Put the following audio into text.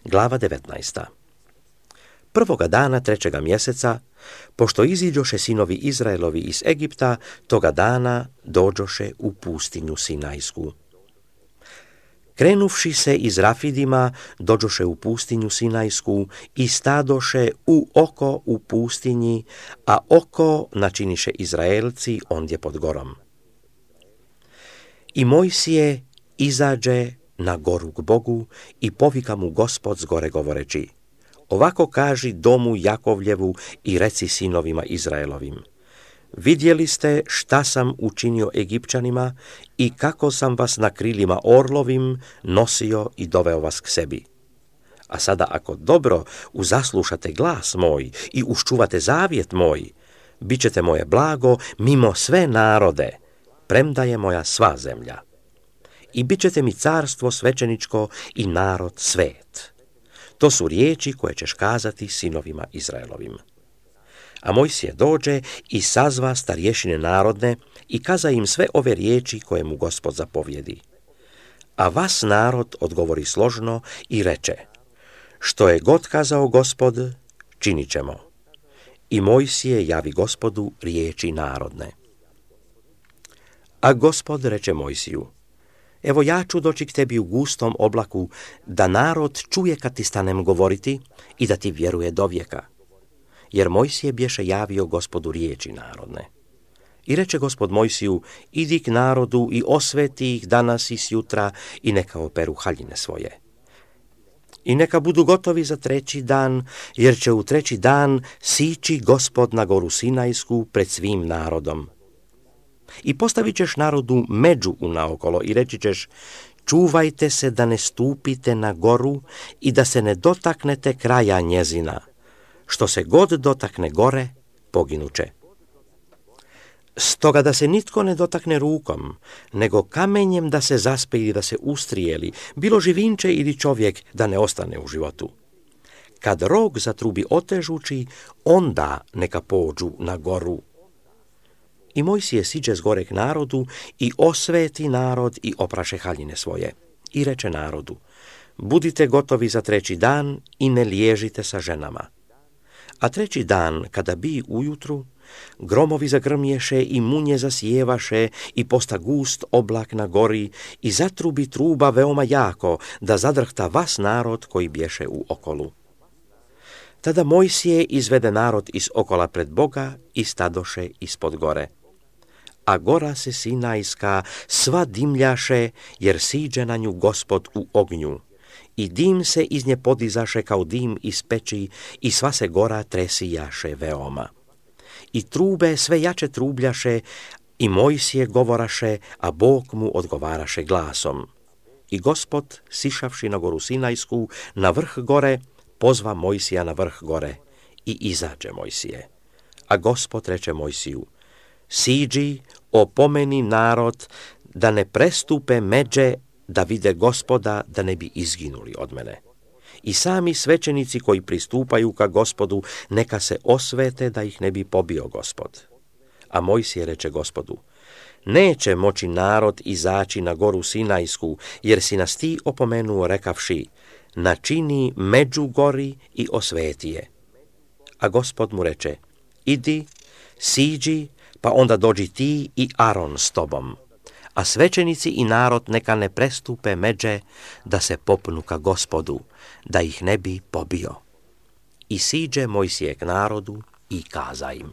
Glava 19. Prvoga dana 3. mjeseca, pošto iziđoše sinovi Izraelovi iz Egipta, toga dana dođoše u pustinju Sinajsku. Krenuvši se iz Rafidima, dođoše u pustinju Sinajsku i stadoše u oko u pustinji, a oko načiniše Izraelci ondje pod gorom. I Mojsije izađe na goru k Bogu i povika mu Gospod s gore govoreći: ovako kaži domu Jakovljevu i reci sinovima Izraelovim: vidjeli ste šta sam učinio Egipćanima i kako sam vas na krilima orlovim nosio i doveo vas k sebi. A sada ako dobro uzaslušate glas moj i uščuvate zavjet moj, bit ćete moje blago mimo sve narode, premda je moja sva zemlja. I bit ćete mi carstvo svećeničko i narod svet. To su riječi koje ćeš kazati sinovima Izraelovim. A Mojsije dođe i sazva starješine narodne i kaza im sve ove riječi koje mu Gospod zapovjedi. A vas narod odgovori složno i reče: što je god kazao Gospod, činit ćemo. I Mojsije javi Gospodu riječi narodne. A Gospod reče Mojsiju: evo ja ću doći k tebi u gustom oblaku, da narod čuje kad ti stanem govoriti i da ti vjeruje dovijeka. Jer Mojsije bješe javio Gospodu riječi narodne. I reče Gospod Mojsiju: idi k narodu i osveti ih danas i sjutra i neka operu haljine svoje. I neka budu gotovi za 3. dan, jer će u 3. dan sići Gospod na goru Sinajsku pred svim narodom. I postavit ćeš narodu među unaokolo i reći ćeš: čuvajte se da ne stupite na goru i da se ne dotaknete kraja njezina. Što se god dotakne gore, poginuće. Stoga da se nitko ne dotakne rukom, nego kamenjem da se zaspe ili da se ustrijeli, bilo živinče ili čovjek, da ne ostane u životu. Kad rog zatrubi otežući, onda neka pođu na goru. I Mojsije siđe s gore k narodu i osveti narod i opraše haljine svoje. I reče narodu: budite gotovi za 3. dan i ne liježite sa ženama. A 3. dan, kada bi ujutru, gromovi zagrmješe i munje zasjevaše i posta gust oblak na gori i zatrubi truba veoma jako, da zadrhta vas narod koji bješe u okolu. Tada Mojsije izvede narod iz okola pred Boga i stadoše ispod gore. A gora se Sinajska sva dimljaše, jer siđe na nju Gospod u ognju. I dim se iz nje podizaše kao dim iz peći i sva se gora tresijaše veoma. I trube sve jače trubljaše i Mojsije govoraše, a Bog mu odgovaraše glasom. I Gospod, sišavši na goru Sinajsku, na vrh gore, pozva Mojsija na vrh gore i izađe Mojsije. A Gospod reče Mojsiju: siđi, opomeni narod da ne prestupe međe, da vide Gospoda, da ne bi izginuli od mene. I sami svećenici koji pristupaju ka Gospodu, neka se osvete da ih ne bi pobio Gospod. A Mojsije reče Gospodu: neće moći narod izaći na goru Sinajsku, jer si nas ti opomenuo rekavši: načini među gori i osveti je. A Gospod mu reče: idi, siđi, pa onda dođi ti i Aron s tobom. A svećenici i narod neka ne prestupe međe, da se popnu ka Gospodu, da ih ne bi pobio. I siđe Mojsije k narodu i kaza im: